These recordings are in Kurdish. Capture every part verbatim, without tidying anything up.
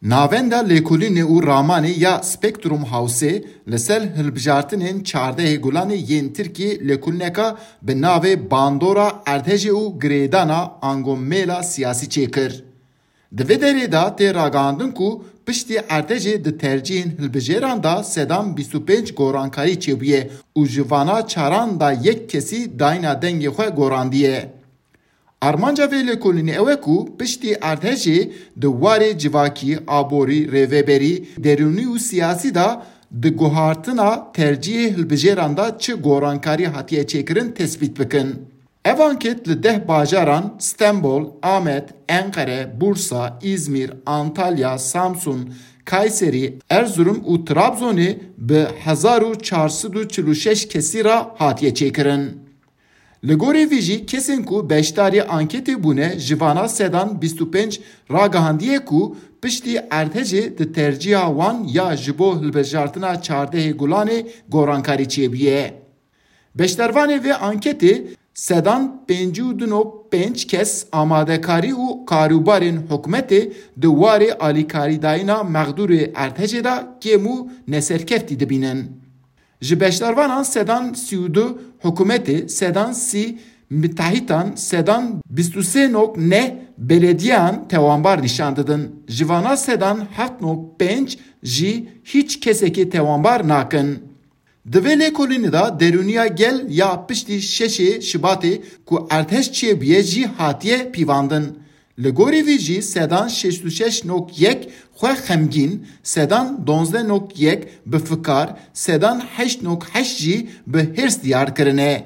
Navenda Lêkolînê û Ramanê ya Spektrum Hawsê li ser hilbijartinên çardehê Gulanê yên Tirkiyê lêkolîneka bi navê Bandora Erdhejê û Girêdana ango Mêla Siyasî çêkir. Di vê derê de tê ragihandin ku piştî Erdhejê di tercîhên hilbijêran de sedan bîst û pênc gorankarî çêbûye û ji vana çaran de yek kesî dayîna dengê xwe gorandiye. Armanca vê lêkolînê ew e ku piştî Erdhejê di warê civakî, aborî, rêveberî, derûnî û siyasî de di guhartina tercîhê hilbijêran de çi gorankarî hatiye çêkirin tespît bikin. Ev anket li deh bajaran Stenbol, Amed, Enqere, Bursa, Îzmîr, Antalya, Samsun, Kayserî, Erzurum û Trabzonê bi hezar û çar sed û çil û şeş kesî re hatiye çêkirin. Li gorî vî jî kesên ku beşdarî anketê bûne ji vana sedan bîst û pênc ragihandiye ku piştî Erdhejê di tercîha wan ya ji bo hilbijartina çardehê Gulanê gorankarî çêbûye. Beşdarvanê vê anketê sedan pêncî û du nokta pênc kes amadekarî û karûbarên hikûmetê di warê alîkarîdayîna mexdûrê Erdhejê de kêm û neserkeftî dibînin. Ji beşdarvanan sedan sî û du hikûmetê, sedan sî mitehîtan, sedan bîst û sê nokta neh belediyeyan tewanbar nîşan didin. Ji vana sedan heft nokta pênc jî hîç kesekê tewanbar nakin. Di vê lêkolînê de derûniya gel ya piştî şeşê Şibatê ku erdhej çêbûye jî hatiye pîvandin. Li gorî vî jî sedan şêst û şeş nokta yek xwe xemgîn, sedan duwazdeh nokta yek bi fikar, sedan heşt nokta heşt jî bi hêrs diyar kirine.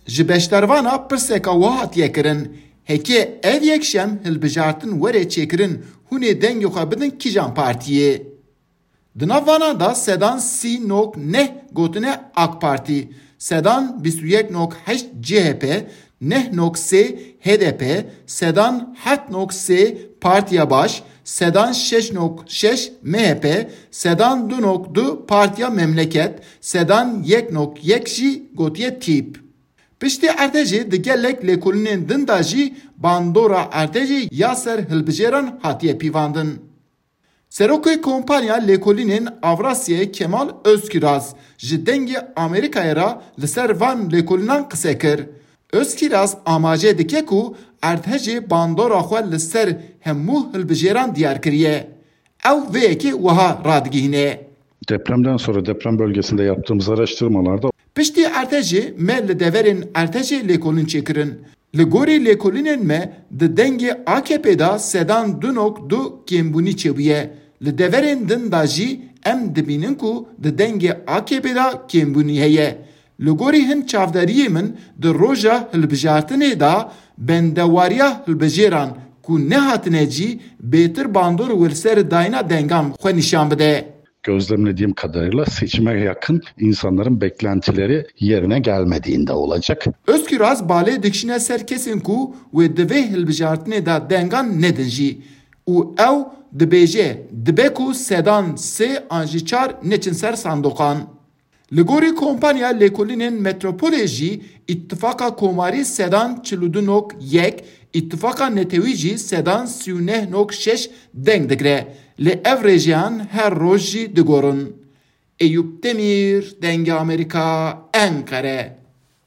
Ji beşdarvana pirseka wiha hatiye kirin, heke ev yekşem hilbijartin were çêkirin, hûn ê dengê xwe bidin kîjan partiyê? Di nav vana de sedan sî nokta neh gotine AK Partî, sedan bîst û yek nokta heşt C H P, neh nokta sê H D P, sedan heft nokta sê Partiya Baş, sedan şeş nokta şeş M H P, sedan du nokta du Partiya Memleket, sedan yek nokta yek jî gotiye Tîp. Piştî Erdhejê di gelek lêkolînên din de jî bandora Erdhejê ya ser hilbijêran hatiye pîvandin. Serokê Kompanya Lêkolînên Avrasyayê Kemal Özkiraz ji Dengê Amerîkayê re li ser van lêkolînan qise kir. Özkiraz amaje dike ku Erdhejê bandora xwe li ser hemû hilbijêran diyar kiriye. Ew vê yekê wiha radigihîne. Depremden sonra deprem bölgesinde yaptığımız araştırmalarda Piştî Erdhejê me li deverên Erdhejê lêkolîn çêkirin. Li gorî lêkolînên me di dengê A K P de sedan du nokta du kêmbûnî çêbûye. Li deverên din de jî em dibînin ku di dengê A K P de kêmbûnî heye. Li gorî hin çavdariyê min di roja hilbijartinê de bendewariya hilbijêran ku nehatine cî bêtir bandor û li ser dayîna dengan xwe nîşan bide. Gözlemlediğim kadarıyla seçime yakın insanların beklentileri yerine gelmediğinde olacak. Özkiraz balê dikişine ser kesên ku wê di vê hilbijartinê de dengan nedin jî û ew dibêje dibe ku sedan sê an jî çar neçin ser sandoqan. Li gorî Kompanya Lêkolînên Metropolê jî Îttifaka Komarî sedan çil û du nok yek, Îttifaka Netewî jî sedan sî û neh nok şeş deng digre. Lê ev rêjeyan her roj jî digorin. Eyûp Demîr, Dengê Amerîka, Enqere.